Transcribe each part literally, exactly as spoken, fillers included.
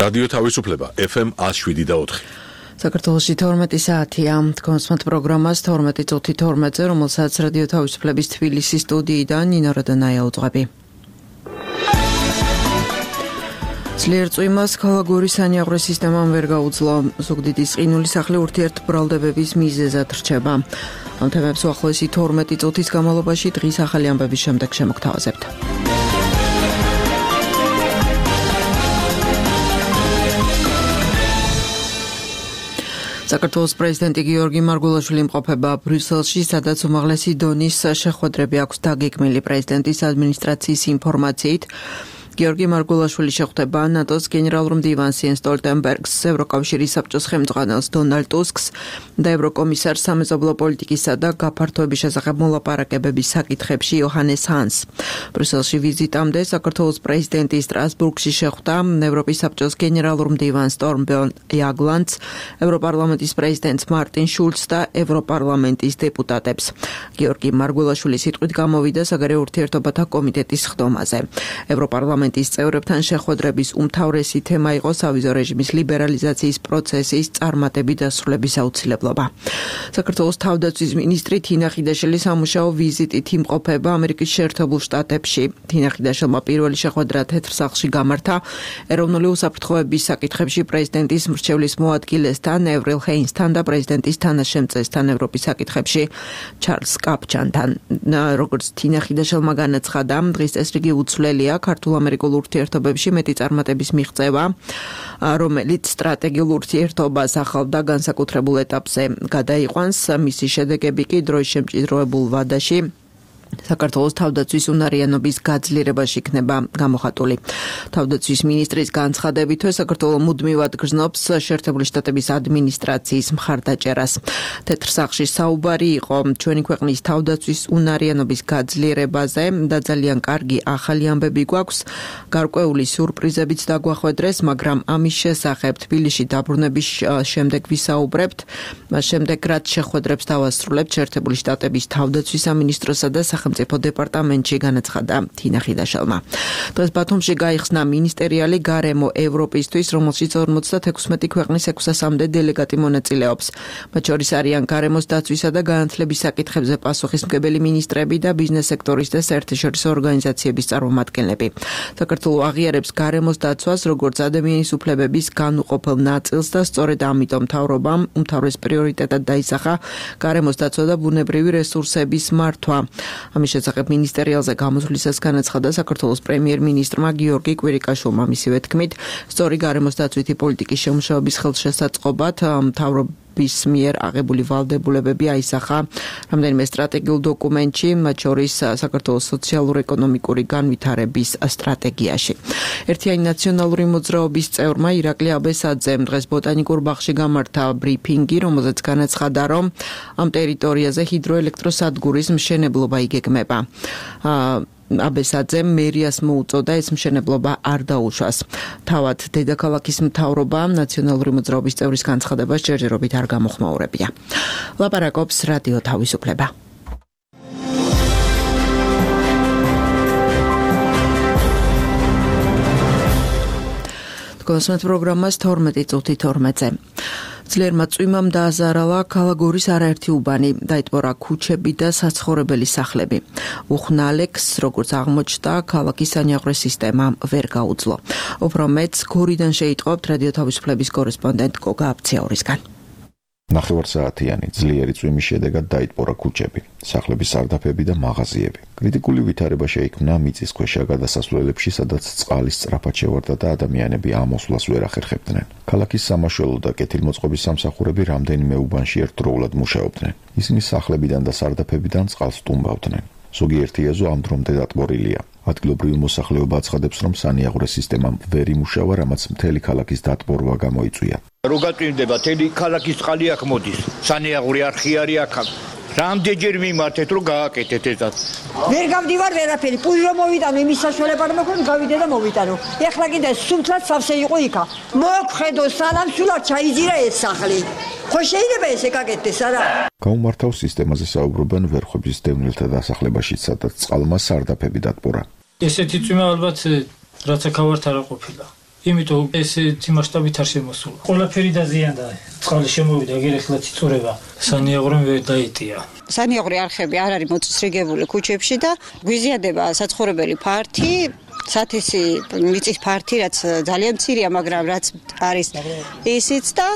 რადიო თავისუფლება ეფ ემ one oh seven და four. საქართველოში თორმეტი საათია. კონსმოთ პროგრამას თორმეტი წუთი თორმეტზე, რომელსაც რადიო თავისუფლების თბილისის სტუდიიდან ნინო როდანაია უძღვები. ძლიერ წვიმას ქალაქური სანიაღვრე სისტემამ ვერ გაუძლო. ზუგდიდის ყინული სახლი ურთიერთბრალდებების მიზეზად რჩება. ამ თემებს უახლოესი თორმეტი წუთის განმავლობაში დღის ახალი ამბების შემდეგ შემოგთავაზებთ. საქართველოს პრეზიდენტი გიორგი მარგულაშვილი იმყოფება ბრიუსელში, სადაც უმაღლესი დონის შეხვედრები აქვს დაგეგმილი. პრეზიდენტის ადმინისტრაციის ინფორმაციით, გიორგი მარგულაშვილი შეხვდება ნატოს გენერალურ მდივანს იენს სტოლტენბერგს, ევროკავშირის საბჭოს ხელმძღვანელს დონალდ ტუსკს და ევროკომისარს სამეზობლო პოლიტიკისა და გაფართოების შესახებ მოლაპარაკებების საკითხებში იოჰანეს ჰანს. ბრიუსელში ვიზიტამდე საქართველოს პრეზიდენტი სტრასბურგში შეხვდა ევროპის საბჭოს გენერალურ მდივანს სტორმბერნ იაგლანდს, ევროპარლამენტის პრეზიდენტს მარტინ შულცს და ევროპარლამენტის დეპუტატებს. გიორგი მარგულაშვილი სიტყვით გამოვიდა საგარეო ურთიერთობათა კომიტეტის ხდომაზე. ევროპარლამენტის წევრებთან შეხვედრების უმთავრესი თემა იყო სავიზო რეჟიმის ლიბერალიზაციის პროცესის წარმატებით დასრულების აუცილებლობა. საქართველოს თავდაცვის მინისტრი თინა ხიდაშელი სამუშაო ვიზიტით იმყოფება ამერიკის შეერთებულ შტატებში. თინა ხიდაშელმა პირველი შეხვედრა თეთრ სახლში გამართა ეროვნული უსაფრთხოების საკითხებში პრეზიდენტის მრჩევლის მოადგილესთან ევრილ ჰეინსთან და პრეზიდენტის თანაშემწესთან ევროპის საკითხებში ჩარლს კაპჩანთან. როგორც თინა ხიდაშელმა განაცხადა, დღის წესრიგი უცვლელია ქართულ ამერიკულ ურთიერთობებში მეტი წარმატების მიღწევა, რომელიც სტრატეგიულ ურთიერთობას ახალ და განსაკუთრებულ ეტაპზე გადაიყვანს. მისი შედეგები კი დროის შემჭიდროებულ ვადაში საქართველოს თავდაცვის უნარიანობის გაძლიერებაში იქნება გამოხატული. თავდაცვის მინისტრის განცხადებითვე საქართველო მუდმივად გრძნობს შეერთებული შტატების ადმინისტრაციის მხარდაჭერას. თეთრ სახლში საუბარი იყო ჩვენი ქვეყნის თავდაცვის უნარიანობის გაძლიერებაზე და ძალიან კარგი ახალი ამბები გვაქვს. გარკვეული სიურპრიზებიც დაგვახვედრეს, მაგრამ ამის შესახებ თბილისში დაბრუნების შემდეგ ვისაუბრებთ. მას შემდეგ რაც შეხვედრებს დავასრულებთ შეერთებული შტატების თავდაცვის სამინისტროსა და სახელმწიფო დეპარტამენტში, განაცხადა თინა ხიდაშელმა. დღეს ბათუმში გაიხსნა მინისტერიალი გარემო ევროპისთვის, რომელშიც ორმოცდათექვსმეტი ქვეყნის ექვსასამდე დელეგატი მონაწილეობს. მათ შორის არიან გარემოს დაცვისა და განათლების საკითხებზე პასუხისმგებელი მინისტრები და ბიზნეს სექტორის და საერთაშორისო ორგანიზაციების წარმომადგენლები. საქართველო აღიარებს გარემოს დაცვას როგორც ადამიანის უფლებების განუყოფელ ნაწილს და სწორედ ამიტომ მთავრობამ უმთავრეს პრიორიტეტად დაისახა გარემოს დაცვა და ბუნებრივი რესურსების მართვა. ამის შესახებ მინისტერიალზე გამოსვლისას განაცხადა საქართველოს პრემიერ-მინისტრმა გიორგი კვირიკაშვილმა. მისივე თქმით, სწორი გარემოს დაცვითი პოლიტიკის შემუშავების ხელშესაწყობად მთავრობის მიერ აღებული ვალდებულებები აისახა რამდენიმე სტრატეგიულ დოკუმენტში, მათ შორის საქართველოს სოციალურ-ეკონომიკური განვითარების სტრატეგიაში. ერთიანი ნაციონალური მოძრაობის წევრმა ირაკლი აბესაძემ დღეს ბოტანიკურ ბაღში გამართა ბრიფინგი, რომელზეც განაცხადა, რომ ამ ტერიტორიაზე ჰიდროელექტროსადგურის მშენებლობა იგეგმება. აბესაძემ მერიას მოუწოდა ეს მშენებლობა არ დაუშვას. თავად დედაქალაქის მთავრობა ნაციონალური მოძრაობის წევრის განცხადებას ჯერჯერობით არ გამოხმაურებია. ლაპარაკობს რადიო თავისუფლება. კონსმოთ პროგრამას თორმეტი წუთი თორმეტზე. ძლიერმა წვიმამ დააზარალა ქალაქგორის არაერთი უბანი, დაიტბორა ქუჩები და საცხოვრებელი სახლები. უხნალეკს, როგორც აღმოჩნდა, ქალაქის სანიაღვრე სისტემა ვერ გაუძლო. უფრო მეტს გორიდან შეიტყობთ რადიო თავისუფლების კორესპონდენტ გოგა აფციაურისგან. ნახევარსაათიანი ძლიერი წვიმის შედეგად დაიტბორა ქუჩები, სახლების სარდაფები და მაღაზიები. კრიტიკული ვითარება შეიქმნა მიწისქვეშა გადასასვლელებში, სადაც წყალი სწრაფად შევარდა და ადამიანები ამოსვლას ვერ ახერხებდნენ. ქალაქის სამაშველო და კეთილმოწყობის სამსახურები რამდენიმე უბანში ერთდროულად მუშაობდნენ. ისინი სახლებიდან და სარდაფებიდან წყალს სტუმბავდნენ. ზოგიერთი ეზო ამ დრომდე დატბორილია. ადგილობრივი მოსახლეობა აცხადებს, რომ სანიაღვრე სისტემამ ვერ იმუშავა, რამაც მთელი ქალაქის დატბორვა გამოიწვია. რო გაწვიმდება, მთელი ქალაქის წყალი აქ მოდის. სანიაღვრე არხი არის აქ. რამდენჯერ მიმართეთ, რომ გააკეთეთ ესაც. ვერ გამდივარ ვერაფერი, პუჟ რომ მოვიტანო, იმის საშუალება არ მაქვს, გავიდე და მოვიტანო. ეხლა კიდე სულთლად სავსე იყო იქა. მოგხედო, სანამ სულად ჩაიძირა ეს სახლი. ხო შეიძლება ესე გაკეთდეს, არა? გაუმართავ სისტემაზე საუბრობენ ვერხვების დევნილთა დასახლებაში, სადაც წყალმა სარდაფები დატბორა. ესეთი წვიმა ალბათ რაც აქ ავართ არ ყოფილა. იმიტომ ესეთი მასშტაბით არ შემოსულა. ყველაფერი დაზიანდა. წყალი შემოვიდა, ეგერ ეხლა წიწურება. სანიაღვრემ ვერ დაიტია. სანიაღვრე არხები არ არის მოწესრიგებული ქუჩებში და გვიზიადება საცხოვრებელი ფართი, სათესი მიწის ფართი, რაც ძალიან მცირეა, მაგრამ რაც არის ისიც და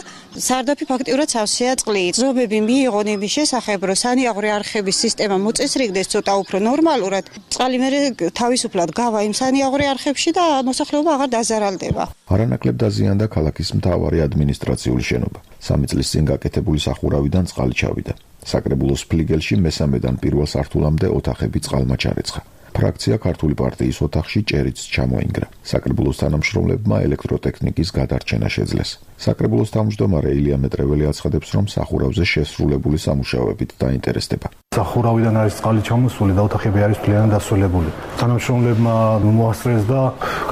სარდაფი ფაქტიურად სავსეა წყლით. ზომები მიიღონ იმის შესახებ, რომ სანიაღვრე არხების სისტემა მოწესრიგდეს ცოტა უფრო ნორმალურად. წყალი მერე თავისუფლად გავა იმ სანიაღვრე არხებში და მოსახლეობა აღარ დაზარალდება. არანაკლებ დაზიანდა ქალაქის მთავარი ადმინისტრაციული შენობა. სამი წლის წინ გაკეთებული სახურავიდან წყალი ჩავიდა. საკრებულოს ფლიგელში მესამედან პირველ სართულამდე ოთახები წყალმა ჩარეცხა. ფრაქცია ქართული პარტიის ოთახში ჭერიც ჩამოინგრა. საკრებულოს თანამშრომლებმა ელექტროტექნიკის გადარჩენა შეძლეს. საკრებულოს თავმჯდომარე ილია მეტრეველი აცხადებს, რომ სახურავზე შესრულებული სამუშაოებით დაინტერესდება. სახურავიდან არის წყალი ჩამოსული და ოთახები არის მთლიანად დასრულებული. თანამშრომლებმა მოასწრეს და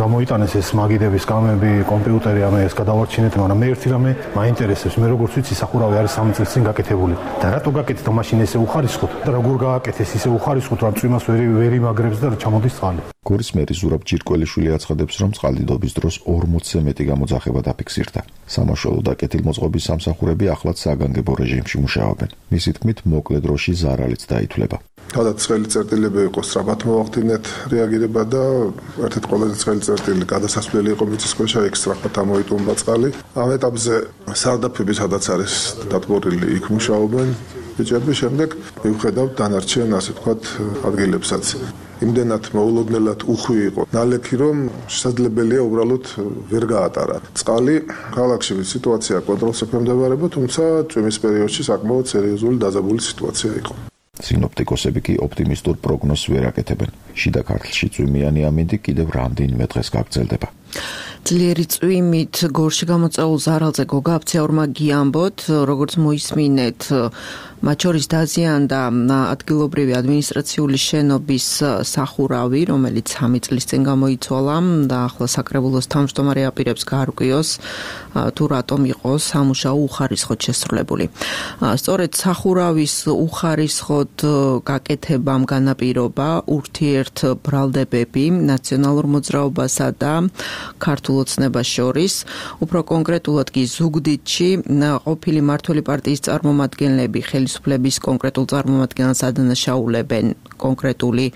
გამოიტანეს ეს მაგიდების კამები, კომპიუტერი, ამე ეს გადავარჩინეთ, მაგრამ მე ერთი რამე მაინტერესებს, მე როგორც ვიცი, სახურავი არის სამი წლის წინ გაკეთებული. და რატო გაკეთდა მაშინ ესე უხარისხოთ? და როგორ გააკეთეს ისე უხარისხოთ, რომ წვიმას ვერ ვერ იმაგრებს და ჩამოდის წყალი. გორის მერი ზურაბ ჯირკველიშვილი აცხადებს, რომ წყალდიდობის დროს ორმოცზე მეტი გამოძახება დაფიქსირდა. სამაშველო და კეთილმოწყობის სამსახურები ახლაც საგანგებო რეჟიმში მუშაობენ. მისი თქმით, მოკლე დროში ზარალიც დაითვლება. თავად ცხელი წერტილები იყო სწრაფად მოახდინეთ რეაგირება და ერთ-ერთი ყველაზე ცხელი წერტილი გადასასვლელი იყო მიწისქვეშა, იქ სწრაფად ამოიტუმბა წყალი. ამ ეტაპზე სარდაფები სადაც არის დატბორილი, იქ მუშაობენ ბიჭები, შემდეგ მივხედავთ დანარჩენ, ასე ვთქვათ, ადგილებსაც. იმდენად მოულოდნელად უხვი იყო ნალექი, რომ შესაძლებელია უბრალოდ ვერ გაატარა წყალი. ქალაქში სიტუაცია კონტროლს ექვემდებარება, თუმცა წვიმის პერიოდში საკმაოდ სერიოზული დაძაბული სიტუაცია იყო. სინოპტიკოსები კი ოპტიმისტურ პროგნოზს ვერ აკეთებენ. შიდა ქართლში წვიმიანი ამინდი კიდევ რამდენიმე დღეს გაგრძელდება. ძლიერი წვიმით გორში გამოწვეულ ზარალზე გოგა აფცეორმა გიამბოთ, როგორც მოისმინეთ, მათ შორის დაზიანდა ადგილობრივი ადმინისტრაციული შენობის სახურავი, რომელიც სამი წლის წინ გამოიცვალა და ახლა საკრებულოს თავმჯდომარე აპირებს გაარკვიოს, თუ რატომ იყო სამუშაო უხარისხოდ შესრულებული. სწორედ სახურავის უხარისხოდ გაკეთებამ განაპირობა ურთიერთ ბრალდებები ნაციონალურ მოძრაობასა და ქართულ ოცნებას შორის, უფრო კონკრეტულად კი ზუგდიდში ყოფილი მმართველი პარტიის წარმომადგენლები ხელისუფლების კონკრეტულ წარმომადგენელს ადანაშაულებენ კონკრეტული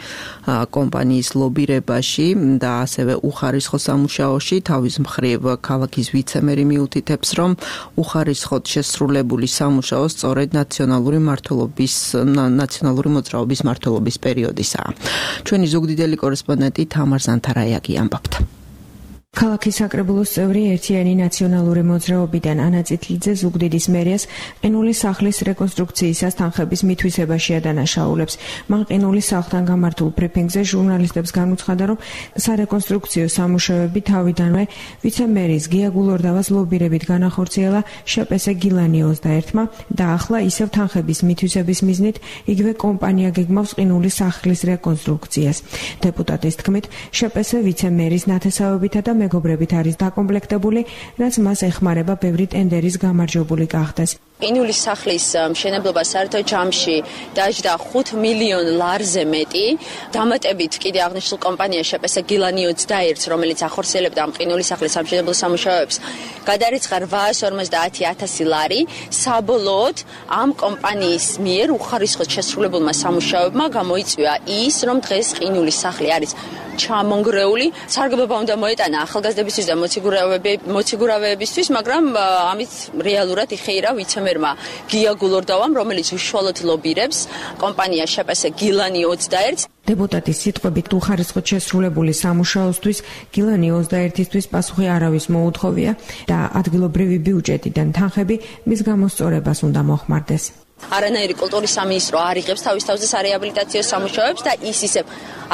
კომპანიის ლობირებაში და ასევე უხარისხო სამუშაოში. თავის მხრივ ქალაქის ვიცემერი მიუთითებს, რომ უხარისხოდ შესრულებული სამუშაო სწორედ ნაციონალური მმართველობის ნაციონალური მოძრაობის მმართველობის პერიოდისაა. ჩვენი ზუგდიდელი კორესპონდენტი თამარ ზანთარაიაგი ამბობთ. ქალაქის საკრებულოს წევრი ერთიანი ნაციონალური მოძრაობიდან ანა წითლიძე ზუგდიდის მერიას ყინულის სახლის რეკონსტრუქციისას თანხების მითვისებაში ადანაშაულებს. მან ყინულის სახლთან გამართულ ბრიფინგზე ჟურნალისტებს განუცხადა, რომ სარეკონსტრუქციო სამუშაოები თავიდანვე ვიცემერის გია გულორდავას ლობირებით განახორციელა შპს გილანი ოცდაერთმა და ახლა ისევ თანხების მითვისების მიზნით იგივე კომპანია გეგმავს ყინულის სახლის რეკონსტრუქციას. დეპუტატის თქმით, შპს ვიცემერის ნათესავებითა და მეგობრებით არის დაკომპლექტებული, რაც მას ეხმარება ბევრი ტენდერის გამარჯვებული გახდეს. ყინულის სახლის მშენებლობა საერთო ჯამში დაჯდა ხუთ მილიონ ლარზე მეტი. დამატებით კიდე აღნიშნულ კომპანია შპს გილანი ოცდაერთს, რომელიც ახორციელებდა ამ ყინულის სახლის სამშენებლო სამუშაოებს, გადარიცხა რვაას ორმოცდაათი ათასი ლარი. საბოლოოდ ამ კომპანიის მიერ უხარისხოდ შესრულებულმა სამუშაოებმა გამოიწვია ის, რომ დღეს ყინულის სახლი არის ჩამონგრეული. სარგებლობა უნდა მოეტანა ახალგაზრდებისთვის და მოციგურავეებისთვის, მაგრამ ამით რეალურად იხეირა ვიცემერმა გია გულორდავამ, რომელიც უშუალოდ ლობირებს კომპანია შპს გილანი ოცდაერთს. დეპუტატის სიტყვებით უხარისხოდ შესრულებული სამუშაოსთვის გილანი ოცდაერთისთვის პასუხი არავის მოუთხოვია და ადგილობრივი ბიუჯეტიდან თანხები მის გამოსწორებას უნდა მოხმარდეს. არანაირი კულტურის სამინისტრო არ იღებს თავის თავზე სარეაბილიტაციო სამუშაოებს და ის ისევ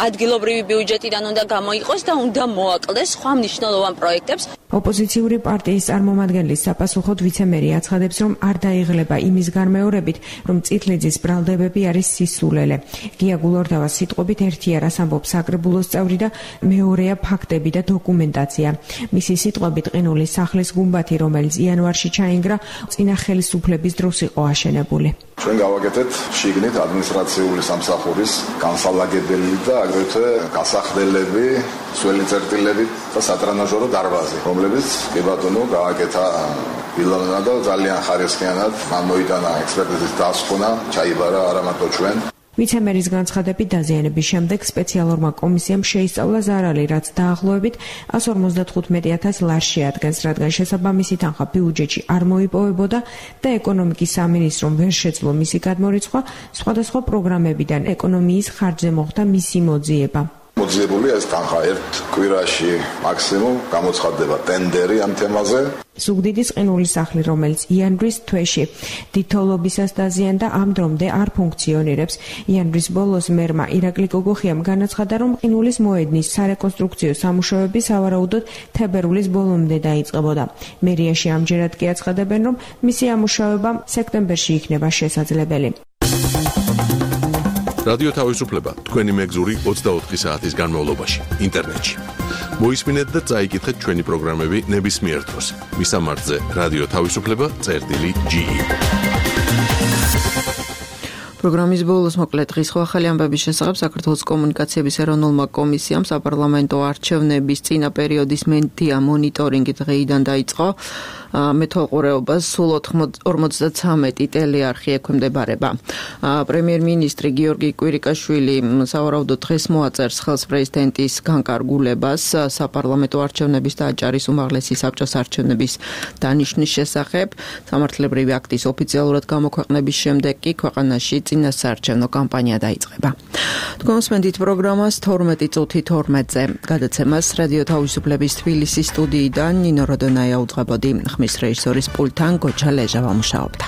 ადგილობრივი ბიუჯეტიდან უნდა გამოიყოს და უნდა მოაკლდეს სხვა მნიშვნელოვან პროექტებს. ოპოზიციური პარტიის წარმომადგენლის საპასუხოდ ვიცემერი აცხადებს, რომ არ დაიღლება იმის განმეორებით, რომ წითლიძის ბრალდებები არის სისულელე. გია გულორდავას სიტყვებით ერთი არას ამბობს საკრებულოს წევრი და მეორეა ფაქტები და დოკუმენტაცია. მისი სიტყვებით ყინულის სახლის გუმბათი, რომელიც იანვარში ჩაინგრა, წინა ხელისუფლების დროს იყო აშენებული. ჩვენ გავაკეთეთ შიგნით ადმინისტრაციული სამსახურის განსალაგებელი და აგრეთვე გასახდელები, სველი წერტილები და სატრანაჟორო დარბაზი, რომლებიც კი ბატონო გააკეთა ილონა და ძალიან ხარისხიანად მან მოიტანა ექსპერტიზის დასკვნა, ჩაიბარა არა მარტო ჩვენ ვიცემერის განცხადებით დაზიანების შემდეგ სპეციალურმა კომისიამ შეისწავლა ზარალი, რაც დაახლოებით εκατს ორმოცდათხუთმეტი ათას ლარს შეადგენს, რადგან შესაბამისი თანხა ბიუჯეტში არ მოიპოვებოდა და ეკონომიკის სამინისტრომ ვერ შეძლო მისი გადმორიცხვა, სხვადასხვა პროგრამებიდან ეკონომიის ხარჯზე მოხდა მისი მოძიება. მოძიებულია ეს თანხა ერთ კვირაში მაქსიმუმ გამოცხადდება ტენდერი ამ თემაზე. ზუგდიდის ყინულის სახლი, რომელიც იანვრის თვეში დიდთოვლობისას დაზიანდა, ამ დრომდე არ ფუნქციონირებს. იანვრის ბოლოს მერმა ირაკლი გოგოხიამ განაცხადა, რომ ყინულის მოედნის სარეკონსტრუქციო სამუშაოები სავარაუდოდ თებერვლის ბოლომდე დაიწყებოდა. მერიაში ამჯერად კი აცხადებენ, რომ მისი ამუშავება სექტემბერში იქნება შესაძლებელი. რადიო თავისუფლება თქვენი მეგზური ოცდაოთხი საათის განმავლობაში ინტერნეტში. მოისმინეთ და წაიკითხეთ ჩვენი პროგრამები ნებისმიერ დროს. მისამართზე რადიო თავისუფლება წერტილი ჯი ი. პროგრამის ბოლოს მოკლედ დღის ახალი ამბების შესახებ საქართველოს კომუნიკაციების ეროვნულმა კომისიამ საპარლამენტო არჩევნების წინა პერიოდის მედია მონიტორინგი დღეიდან დაიწყო. მეთვალყურეობას სულ ორმოცდათვრამეტი ტელეარხი ექვემდებარება. პრემიერ-მინისტრი გიორგი კვირიკაშვილი სავარაუდოდ დღეს მოაწერს ხელს პრეზიდენტის განკარგულებას საპარლამენტო არჩევნების და აჭარის უმაღლესი საბჭოს არჩევნების დანიშვნის შესახებ. სამართლებრივი აქტის ოფიციალურად გამოქვეყნების შემდეგ კი ქვეყანაში წინასაარჩევნო კამპანია დაიწყება. თქვენ მსმენთ პროგრამას თორმეტი წუთი თორმეტზე. გადაცემას რადიო თავისუფლების თბილისის სტუდიიდან ნინო როდონაია უძღვებოდი. ხმის რეჟისორის პულტთან გოჩა ლეჟა ვამუშაობდა.